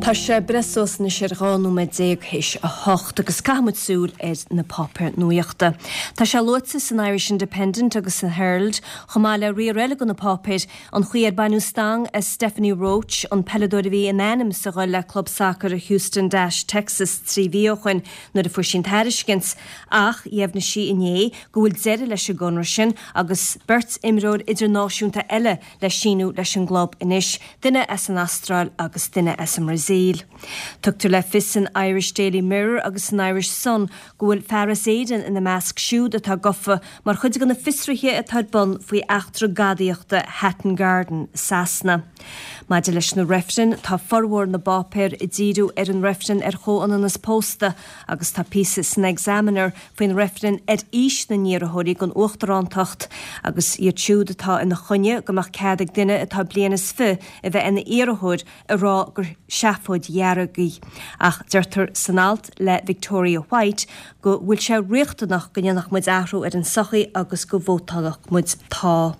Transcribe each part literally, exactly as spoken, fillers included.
Tá sé breis suas anois ar dhá nóiméad déag théis a hocht agus caithfimid súil ar na páipéir nuachta. Tá sé luaite san Irish Independent agus san Herald chomh maith le riar eile de na páipéir an chaoi ar baineadh stangadh as Stephanie Roche an peileadóir a bhí in ainm is a dhul le club sacair Houston Dash Texas trí mhí ó shin nuair a fuair sí an tairiscint ach dheimhnigh sí inné go bhfuil deireadh leis an gconradh sin agus beirt imreoir idirnáisiúnta eile le síniú leis an gclub anois, duine as an Astráil agus duine as an mBrasaíl. Tugtar le fios san Irish Daily Mirror agus san Irish Sun go bhfuil fear as Éirinn ina measc siúd atá gafa mar chuid de na fiosruithe atá ar bun faoi eachtra gadaíochta Hatton Garden, Sasana. Maidir leis na reifrinn tá formhór na bpáipéar ag díriú ar an reifreann ar chomhionannas pósta agus tá píosa san Examiner faoin reifreann ar aois na n-iarrthóirí don uachtarántacht agus iad siúd atá ina choinne go mbeadh cead ag duine atá bliain is fiche a bheith ina iarrthóir ag rá gur seafóid dhearg í. Ach deirtear san alt le Victoria White go bhfuil sé riachtanach go ndéanfadh muid athrú ar an sochaí agus go vótálfadh muid tá.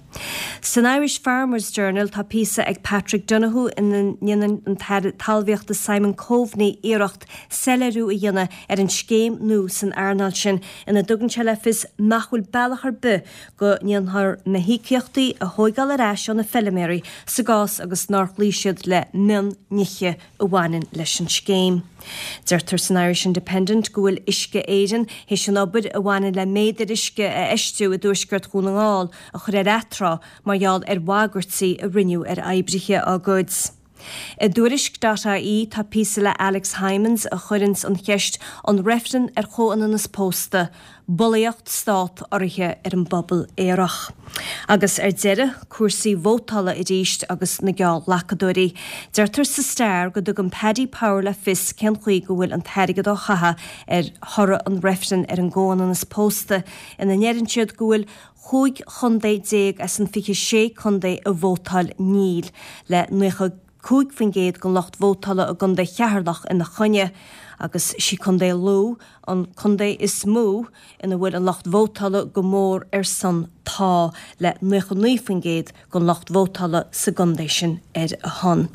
San Irish Farmers Journal tá píosa ag Patrick Donoghue ina ndéanann an tAire Talmhaíochta Simon Coveney iarracht soiléiriú a dhéanamh ar an scéim nua san earnáil sin ina dtugann sé le fios nach bhfuil bealach ar bith go ndéanfar na híocaíochtaí a thógáil ar ais ó na feilméaraí sa gcás agus nár chloígh siad le mionnithe a bhaineann leis an scéim. Deirtear san Irish Independent go bhfuil Uisce Éireann théis an obair a bhaineann le méadair uisce a fheistiú i dtuaisceart Dhún na nGall a chur ar atráth mar gheall ar bhagairtí a rinneadh ar oibrithe á gcuid. I dtuairisc.ie tá píosa le Alex Hijmans a chuireann an cheist an reifreann ar chomhionannas pósta, bulaíocht stát urraithe ar an bpobal aerach. Agus ar deireadh cúrsaí vótála arís agus na geallghlacadóirí. Deirtear sa Star go dtugann Paddy Power le fios cén chaoi go bhfuil an t-airgead á chaitheamh ar thoradh an reifrinn ar an gcomhionannas pósta ina ndeireann siad go bhfuil cúig chontae déag as an fiche sé contae a vótáil níl le nócha cúig faoin gcéad den lucht vótála i gContae Cheatharlach ina choinne agus sí Contae Lú an contae is mó ina bhfuil an lucht vótála go mór ar son tá le nócha naoi faoin gcéad den lucht vótála sa gcontae sin ar a shon.